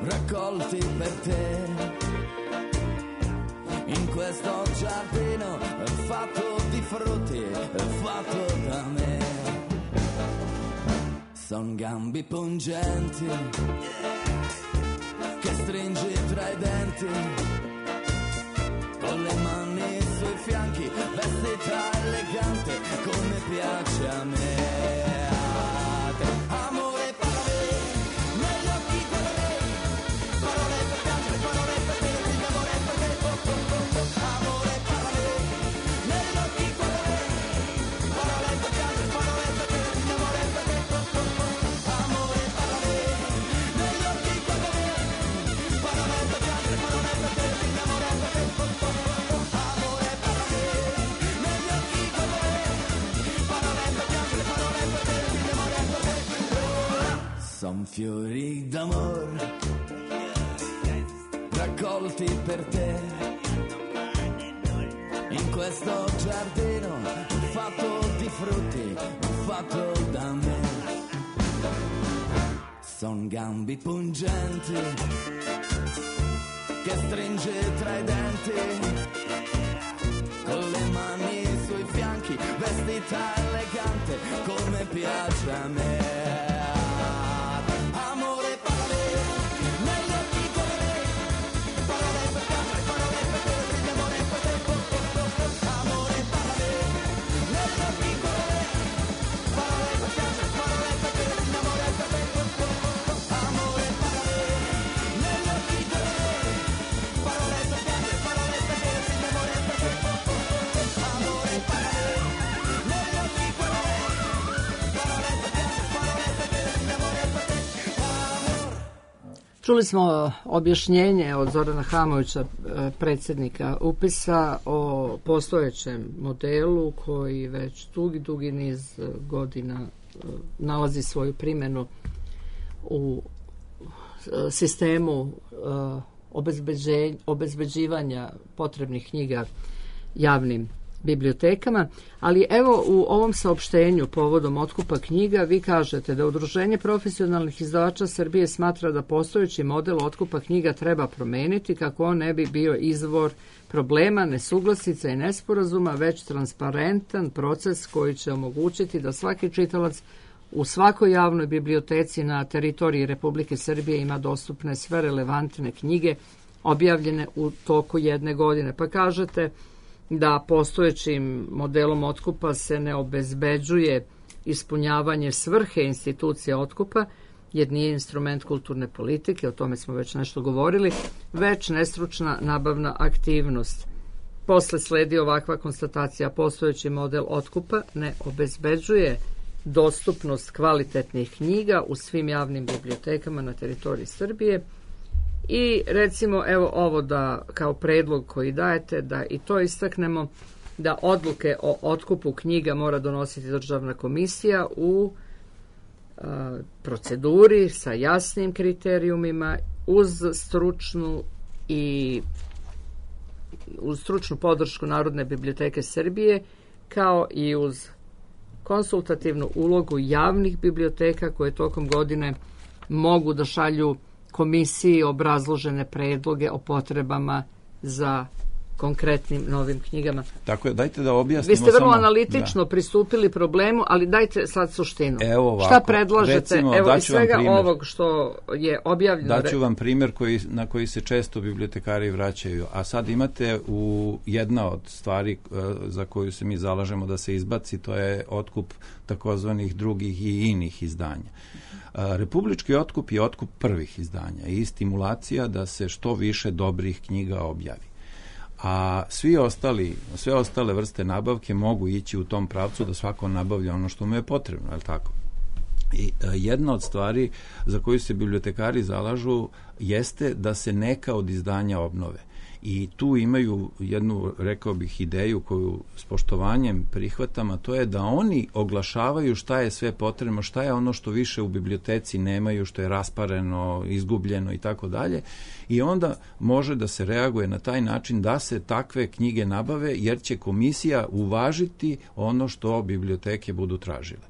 raccolti per te in questo giardino fatto di frutti, fatto da me. Son gambi pungenti che stringi tra i denti, con le mani sui fianchi, vestita elegante come piace a me. Amore parlami, negli occhi guardami, parole per piangere, parole per dirti d'amore per te. Amore parlami, negli occhi guardami, parole per piangere, parole per dirti d'amore per te. Amore parlami, negli occhi guardami, parole per piangere, parole per dirti d'amore per te. Amore parlami, negli occhi guardami, parole per piangere, parole per dirti d'amore per te. Son fiori d'amor raccolti per te in questo giardino fatto di frutti, fatto da me. Son gambi pungenti che stringe tra i denti, con le mani sui fianchi, vestita elegante come piace a me. Amore parlami, negli occhi guardami, parole per piangere, parole per dirti d'amore per te. Amore parlami, negli occhi guardami, parole per piangere, parole per dirti d'amore per te. Amore parlami, negli occhi guardami, parole per piangere, parole per dirti d'amore per te. Amore parlami, negli occhi guardami, parole per piangere, parole per dirti d'amore per te. Čuli smo objašnjenje od Zorana Hamovića, predsjednika upisa, o postojećem modelu koji već dugi niz godina nalazi svoju primjenu u sistemu obezbeđivanja potrebnih knjiga javnim bibliotekama, ali evo u ovom saopštenju povodom otkupa knjiga vi kažete da Udruženje profesionalnih izdavača Srbije smatra da postojeći model otkupa knjiga treba promeniti kako on ne bi bio izvor problema, nesuglasica i nesporazuma, već transparentan proces koji će omogućiti da svaki čitalac u svakoj javnoj biblioteci na teritoriji Republike Srbije ima dostupne sve relevantne knjige objavljene u toku jedne godine. Pa kažete da postojećim modelom otkupa se ne obezbeđuje ispunjavanje svrhe institucije otkupa, jer nije instrument kulturne politike, o tome smo već nešto govorili, već nestručna nabavna aktivnost. Posle sledi ovakva konstatacija: postojeći model otkupa ne obezbeđuje dostupnost kvalitetnih knjiga u svim javnim bibliotekama na teritoriji Srbije. I recimo evo ovo da kao predlog koji dajete da i to istaknemo, da odluke o otkupu knjiga mora donositi državna komisija u proceduri sa jasnim kriterijumima uz stručnu podršku Narodne biblioteke Srbije, kao i uz konsultativnu ulogu javnih biblioteka koje tokom godine mogu da šalju komisiji obrazložene predloge o potrebama za konkretnim novim knjigama. Tako je, dajte da objasnimo. Vi ste vrlo analitično pristupili problemu, ali dajte sad suštinu. Evo ovako, šta predlažete? Recimo, evo iz svega ovog što je objavljeno. Daću vam primjer na koji se često bibliotekari vraćaju, a sad imate jedna od stvari za koju se mi zalažemo da se izbaci, to je otkup takozvanih drugih i inih izdanja. Republički otkup je otkup prvih izdanja i stimulacija da se što više dobrih knjiga objavi. A sve ostale vrste nabavke mogu ići u tom pravcu da svako nabavlja ono što mu je potrebno, je li tako? I jedna od stvari za koju se bibliotekari zalažu jeste da se neka od izdanja obnove. I tu imaju jednu, rekao bih, ideju koju s poštovanjem prihvatam, a to je da oni oglašavaju šta je sve potrebno, šta je ono što više u biblioteci nemaju, što je raspareno, izgubljeno i tako dalje. I onda može da se reaguje na taj način da se takve knjige nabave, jer će komisija uvažiti ono što biblioteke budu tražile.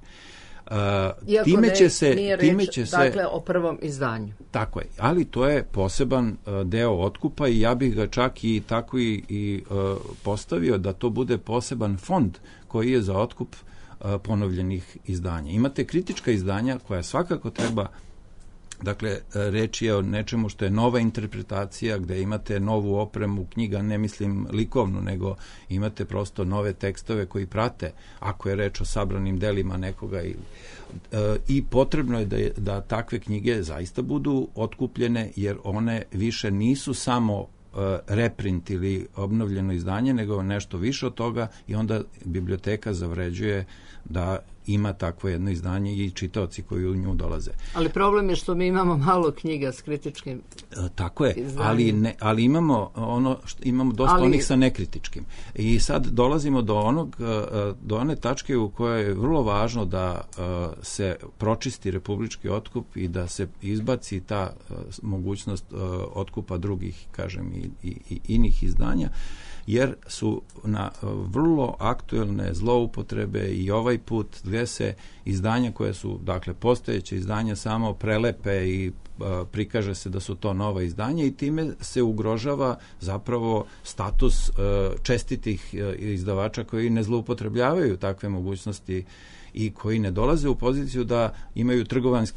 Iako time će se, nije reč, dakle, o prvom izdanju. Tako je, ali to je poseban deo otkupa i ja bih ga čak i tako i postavio da to bude poseban fond koji je za otkup ponovljenih izdanja. Imate kritička izdanja koja svakako treba, dakle, reč je o nečemu što je nova interpretacija, gde imate novu opremu knjiga, ne mislim likovnu, nego imate prosto nove tekstove koji prate, ako je reč o sabranim delima nekoga. I potrebno je da takve knjige zaista budu otkupljene, jer one više nisu samo reprint ili obnovljeno izdanje, nego nešto više od toga i onda biblioteka zavređuje da ima takvo jedno izdanje i čitaoci koji u nju dolaze. Ali problem je što mi imamo malo knjiga s kritičkim tako je, izdanjem. ali imamo imamo dosta onih sa nekritičkim. I sad dolazimo do one tačke u kojoj je vrlo važno da se pročisti republički otkup i da se izbaci ta mogućnost otkupa drugih, kažem, i inih izdanja, jer su na vrlo aktuelne zloupotrebe i ovaj put gdje se izdanja koje su, dakle, postojeće izdanja samo prelepe i prikaže se da su to nova izdanja i time se ugrožava zapravo status čestitih izdavača koji ne zloupotrebljavaju takve mogućnosti i koji ne dolaze u poziciju da imaju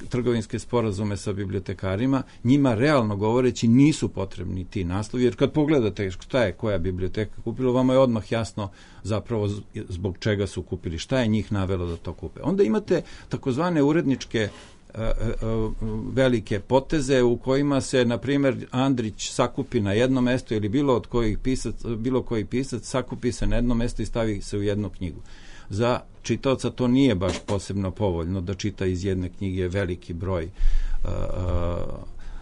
trgovinske sporazume sa bibliotekarima. Njima, realno govoreći, nisu potrebni ti naslovi, jer kad pogledate šta je koja biblioteka kupila, vama je odmah jasno zapravo zbog čega su kupili, šta je njih navelo da to kupe. Onda imate takozvane uredničke velike poteze u kojima se, na primjer, Andrić sakupi na jedno mesto ili bilo koji pisac sakupi se na jedno mesto i stavi se u jednu knjigu. Za čitaoca to nije baš posebno povoljno da čita iz jedne knjige veliki broj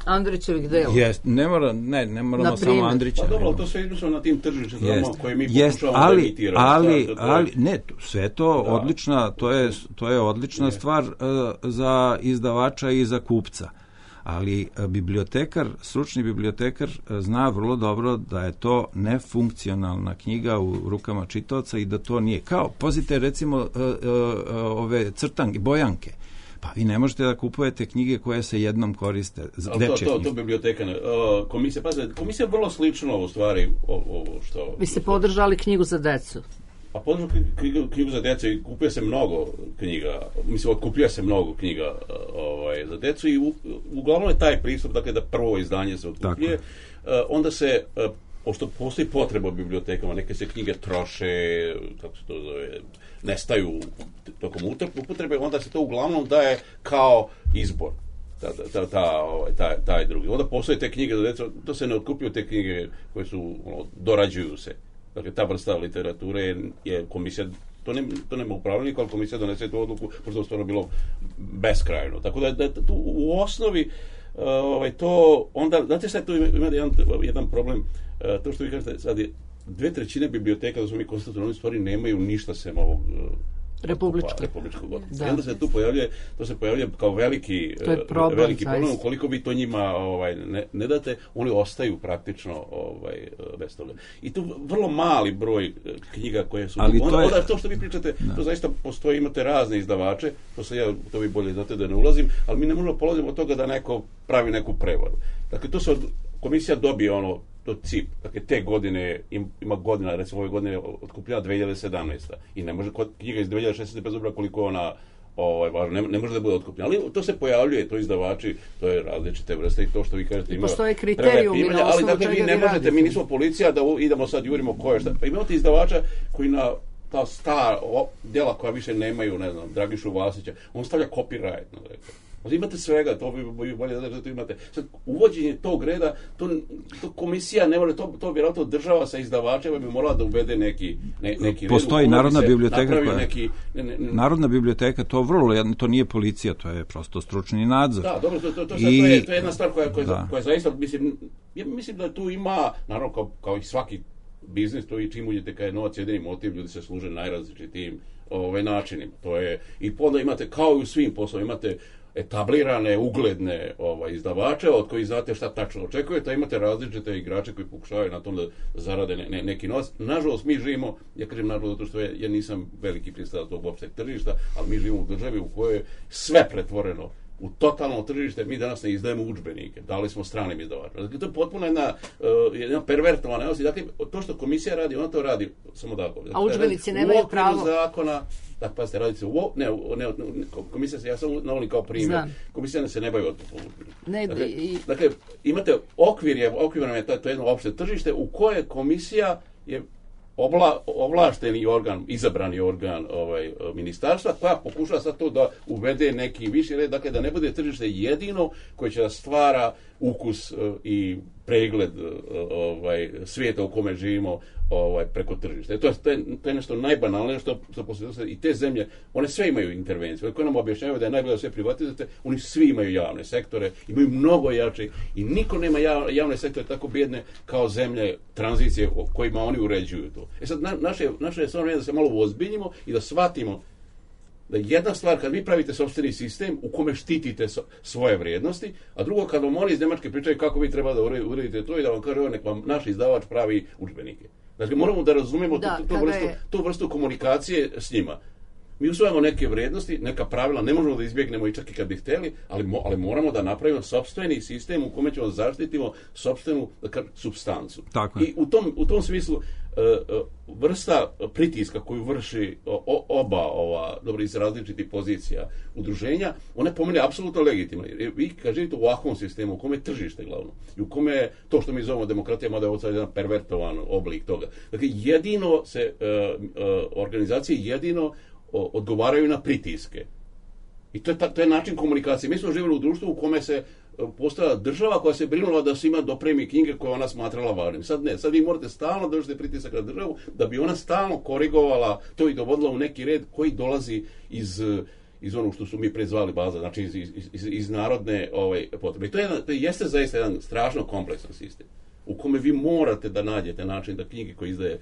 Andrićevih dela. Ne moramo samo Andrića. Pa dobro, to sve izmišljamo na tim tržištima koje mi pokušavamo da emitiramo. Ali ne, sve to odlična, to je odlična stvar za izdavača i za kupca. Ali stručni bibliotekar zna vrlo dobro da je to nefunkcionalna knjiga u rukama čitaoca i da to nije. Kao, pazite, recimo, ove crtanke, bojanke. Pa vi ne možete da kupujete knjige koje se jednom koriste. To biblioteka, komisija je vrlo slično u stvari ovo što... Vi ste podržali knjigu za decu. A podržao knjigu za djecu i kupuje se mnogo knjiga, otkupljuje se mnogo knjiga za djecu i uglavnom je taj pristup, dakle, da prvo izdanje se otkupljuje, onda se, pošto postoji potreba u bibliotekama, neke se knjige troše, kako se to zove, nestaju tokom upotrebe, onda se to uglavnom daje kao izbor. Taj drugi. Onda postoje te knjige za djecu, to se ne otkupljuju te knjige koje su, dorađuju se. Dakle, ta vrsta literature je komisija, to nema upravljenika, ali komisija donese tu odluku, pošto je stvarno bilo beskrajno. Tako da tu u osnovi to onda, znate šta, tu ima jedan problem, to što vi kažete, sad je 2/3 biblioteka, da smo mi konstatovali, stvari nemaju ništa sem ovog republičkog otkupa. I onda se tu pojavljuje kao veliki problem, ukoliko vi to njima ne date, oni ostaju praktično bez toga. I tu vrlo mali broj knjiga koje su... Onda to što vi pričate, to zaista postoji, imate razne izdavače, to vi bolje znate da ne ulazim, ali mi ne možemo polaziti od toga da neko pravi neku prevaru. Dakle, to se komisija dobije to CIP, dakle, te godine, ima godina, recimo ove godine otkupljena 2017. I ne može knjiga iz 2016. bez obzira koliko ona važna, ne može da bude otkupljena. Ali to se pojavljuje, to izdavači, to je različite vrste i to što vi kažete ima... Postoje kriterijumi na osnovu čega vi radite. Ali, dakle, vi ne možete, mi nismo policija da idemo sad jurimo ko je šta. Pa imate izdavača koji na ta stara djela koja više nemaju, ne znam, Dragišu Vasića, on stavlja copyright, imate svega, to bi bolje da to imate. Sad, uvođenje tog reda, to komisija ne može, to vjerojatno država sa izdavačima bi morala da uvede neki red. Postoji Narodna biblioteka Narodna biblioteka, to nije policija, to je prosto stručni nadzor. Da, dobro, to je jedna stvar koja zaista, mislim da tu ima, naravno kao i svaki biznis, to i čim uđete kada je novac jedini motiv, ljudi se služe najrazličitijim načinima. To je, i onda imate, kao i u svim poslovima, imate etablirane, ugledne izdavače, od kojih znate šta tačno očekujete, a imate različite igrače koji pokušavaju na tom da zarade neki novac. Nažalost, mi živimo, ja kažem nažalost, zato što ja nisam veliki pristalac tog opšteg tržišta, ali mi živimo u državi u kojoj je sve pretvoreno u totalno tržište. Mi danas ne izdajemo udžbenike, dali smo stranim izdavačima. Dakle, to je potpuno jedna pervertovana neosti. Dakle, to što komisija radi, ona to radi samo tako. Dakle, a udžbenici nemaju pravo. Zakona, dakle, pazite, radite komisija se, ja sam navolim kao primjer, komisija se ne bavi otkupom udžbenika. Dakle, imate okvirno je to jedno opšte tržište u koje komisija je ovlašteni organ, izabrani organ ministarstva, koja pokušava sad to da uvede neki viši red, dakle da ne bude tržište jedino koje će da stvara ukus i pregled svijeta u kome živimo preko tržišta. To je nešto najbanalnije što poslije i te zemlje, one sve imaju intervenciju. Koje nam objašnjavaju da je najbolje da sve privatizujete, oni svi imaju javne sektore, imaju mnogo jači i niko nema javne sektore tako bijedne kao zemlje tranzicije kojima oni uređuju to. Sad, naše je stvarno da se malo uozbiljimo i da shvatimo da jedna stvar, kad vi pravite sopstveni sistem u kome štitite svoje vrijednosti, a drugo, kad vam oni iz Nemačke pričaju kako vi treba da uredite to i da vam kaže nek vam naš izdavač pravi udžbenike. Dakle, moramo da razumemo tu vrstu komunikacije s njima. Mi usvajamo neke vrijednosti, neka pravila, ne možemo da izbjegnemo i čak i kad bi htjeli, ali moramo da napravimo sopstveni sistem u kome ćemo zaštitimo sopstvenu supstancu. I u tom smislu vrsta pritiska koju vrši oba iz različitih pozicija udruženja, ona je po meni apsolutno legitimna. Vi kad živite u ovakvom sistemu, u kome je tržište glavno, i u kome je to što mi zovemo demokratija, mada je ovo sad jedan pervertovan oblik toga. Dakle, jedino se organizacije jedino odgovaraju na pritiske. I to je način komunikacije. Mi smo živjeli u društvu u kome se postala država koja se brinula da svima dopremi knjige koje ona smatrala važnim. Sad ne, sad vi morate stalno držati pritisak na državu da bi ona stalno korigovala to i dovodila u neki red koji dolazi iz onog što su mi prezvali baza, znači iz narodne potrebe. I to jeste zaista jedan strašno kompleksan sistem u kome vi morate da nađete način da knjige koje izdaje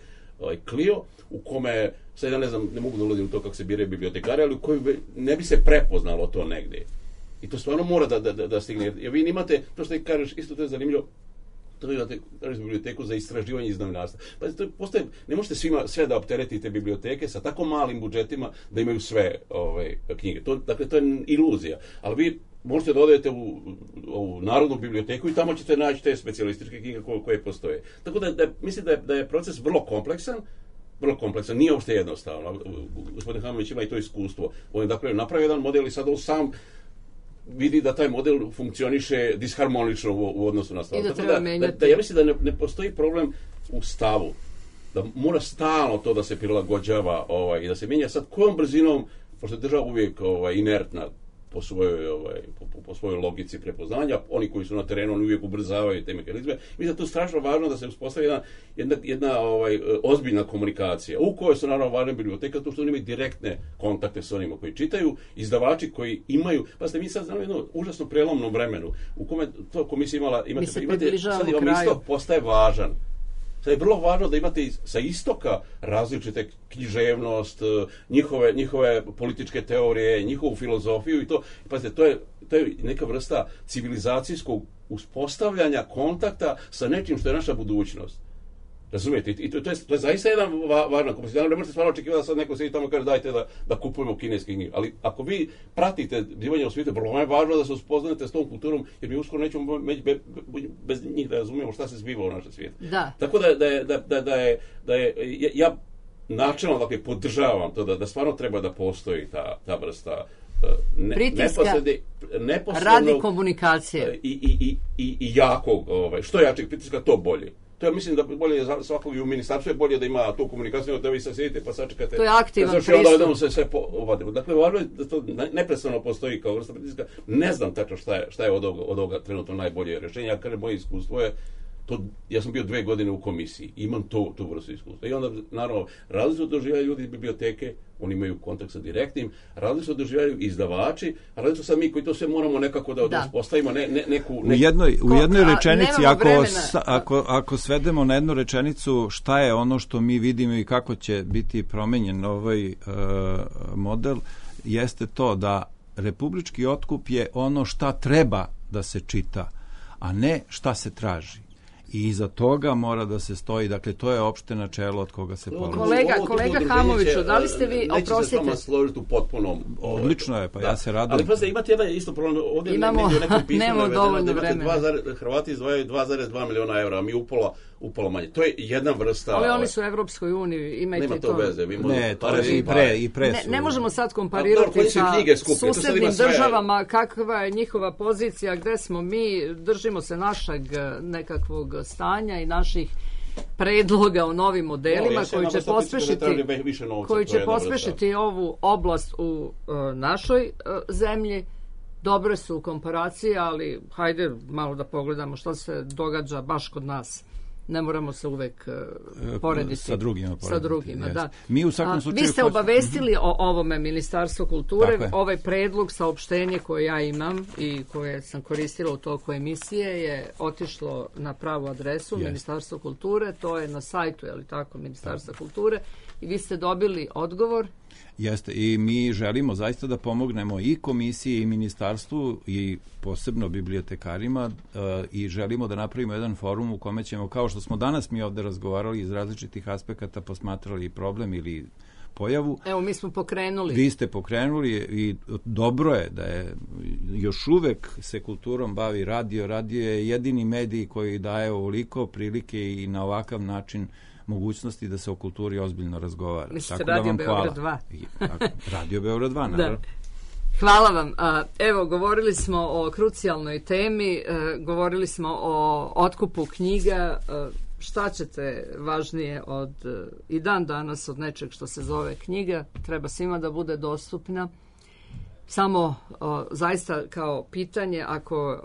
Clio, u kome, sad ja ne mogu da ulazim u to kako se biraju bibliotekari, ali u kojoj ne bi se prepoznalo to negdje. I to stvarno mora da stigne. Jer vi imate, to što ti kažeš, isto to je zanimljivo, to imate biblioteku za istraživanje iz novinarstva. Pa ne možete sve da opteretite biblioteke sa tako malim budžetima da imaju sve knjige. Dakle, to je iluzija. Ali vi možete da odete u Narodnu biblioteku i tamo ćete naći te specijalističke knjige koje postoje. Tako da mislim da je proces vrlo kompleksan, nije uopšte jednostavno. Gospodin Hamović ima i to iskustvo. On je dakle napravio jedan model i sad on sam vidi da taj model funkcioniše disharmonično u odnosu na stav. Ja mislim da ne postoji problem u stavu. Da mora stalno to da se prilagođava i da se mijenja. Sad kojom brzinom, pošto je država uvijek inertna po svojoj logici prepoznanja, oni koji su na terenu oni uvijek ubrzavaju te mehanizme. Mislim da je to strašno važno da se uspostavi jedna ozbiljna komunikacija u kojoj su naravno važne biblioteka, to što oni imaju direktne kontakte s onima koji čitaju, izdavači koji imaju, pa ste mi sad znamo jedno užasno prelomnom vremenu u kome to komisija imate sad vam isto postaje važan. Sad je vrlo važno da imate sa istoka različite književnost, njihove političke teorije, njihovu filozofiju i to. Pazite, to je neka vrsta civilizacijskog uspostavljanja kontakta sa nečim što je naša budućnost. Razumijete? I to je zaista jedan važna kompozicija. Ne možete stvarno očekivati da sad neko sedi tamo i kaže dajte da kupujemo kineske knjige. Ali ako vi pratite zbivanje u svijetu, vrlo je važno da se uspoznate s tom kulturom, jer mi uskoro nećemo bez njih da razumijemo šta se zbiva u našem svijetu. Da. Tako da je ja načelno dakle podržavam to da stvarno treba da postoji ta vrsta pritiska radi komunikacije i jakog, što jačeg pritiska to bolje. To ja mislim da bolje za svakog i u ministarstvu je bolje da ima tu komunikaciju, da vi se sjedite pa sačekate. To je aktivan pristup. Onda se sve povadimo. Dakle, važno je da to neprestano postoji kao vrsta pritiska. Ne znam tačno šta je od ovoga trenutno najbolje rješenje. Ja kažem, moje iskustvo je ja sam bio 2 godine u komisiji, imam tu vrstu iskustva. I onda, naravno, različno doživljaju ljudi iz biblioteke, oni imaju kontakt sa direktnim, različno doživljaju izdavači, a različno sad mi koji to sve moramo nekako da uspostavimo U jednoj rečenici, ako svedemo na jednu rečenicu šta je ono što mi vidimo i kako će biti promenjen ovaj model, jeste to da republički otkup je ono šta treba da se čita, a ne šta se traži. I iza toga mora da se stoji, dakle to je opšte načelo od koga se polazi. Kolega Hamoviću, da li ste vi, oprostite? Neće se s vama složiti u potpunom... Odlično je, pa ja se radujem. Ali pa imate jedan isto problem, ovdje nemamo dovoljno vremena. Hrvati izdvajaju 2,2 miliona evra, a mi upola manje. To je jedna vrsta... Ali oni su u Evropskoj uniji, imajte nema to veze. Ne, to je i pre su. Ne možemo sad komparirati sa susednim državama, kakva je njihova pozicija, gde smo mi, držimo se našeg nekakvog stanja i naših predloga o novim modelima koji će pospešiti ovu oblast u našoj zemlji. Dobre su komparacije, ali hajde malo da pogledamo što se događa baš kod nas. Ne moramo se uvek porediti sa drugima. Da. Mi u svakom slučaju vi ste obavestili o ovome Ministarstvo kulture. Ovaj predlog, saopštenje koje ja imam i koje sam koristila u toku emisije je otišlo na pravu adresu Ministarstvo kulture. To je na sajtu, Ministarstva kulture. I vi ste dobili odgovor. Jeste, i mi želimo zaista da pomognemo i komisiji i ministarstvu i posebno bibliotekarima i želimo da napravimo jedan forum u kome ćemo, kao što smo danas mi ovde razgovarali iz različitih aspekata, posmatrali problem ili pojavu. Evo, mi smo pokrenuli. Vi ste pokrenuli i dobro je da je još uvek se kulturom bavi radio. Radio je jedini medij koji daje ovoliko prilike i na ovakav način mogućnosti da se o kulturi ozbiljno razgovara. Mislite Radio Beograd 2? Radio Beograd 2, naravno. Da. Hvala vam. Evo, govorili smo o krucijalnoj temi, govorili smo o otkupu knjiga. Šta ćete važnije i dan danas od nečeg što se zove knjiga? Treba svima da bude dostupna. Samo zaista kao pitanje, ako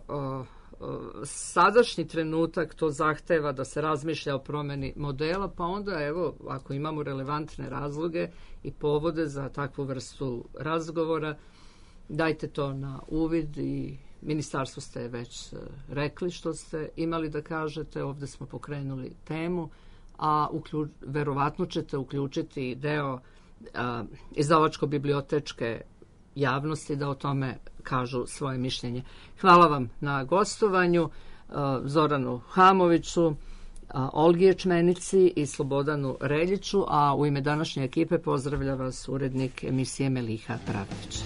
sadašnji trenutak to zahteva da se razmišlja o promeni modela, pa onda evo, ako imamo relevantne razloge i povode za takvu vrstu razgovora, dajte to na uvid i ministarstvu ste već rekli što ste imali da kažete, ovde smo pokrenuli temu, a verovatno ćete uključiti deo izdavačko-bibliotečke javnosti da o tome kažu svoje mišljenje. Hvala vam na gostovanju, Zoranu Hamoviću, Olgi Ječmenici i Slobodanu Reljiću, a u ime današnje ekipe pozdravlja vas urednik emisije Meliha Pravdić.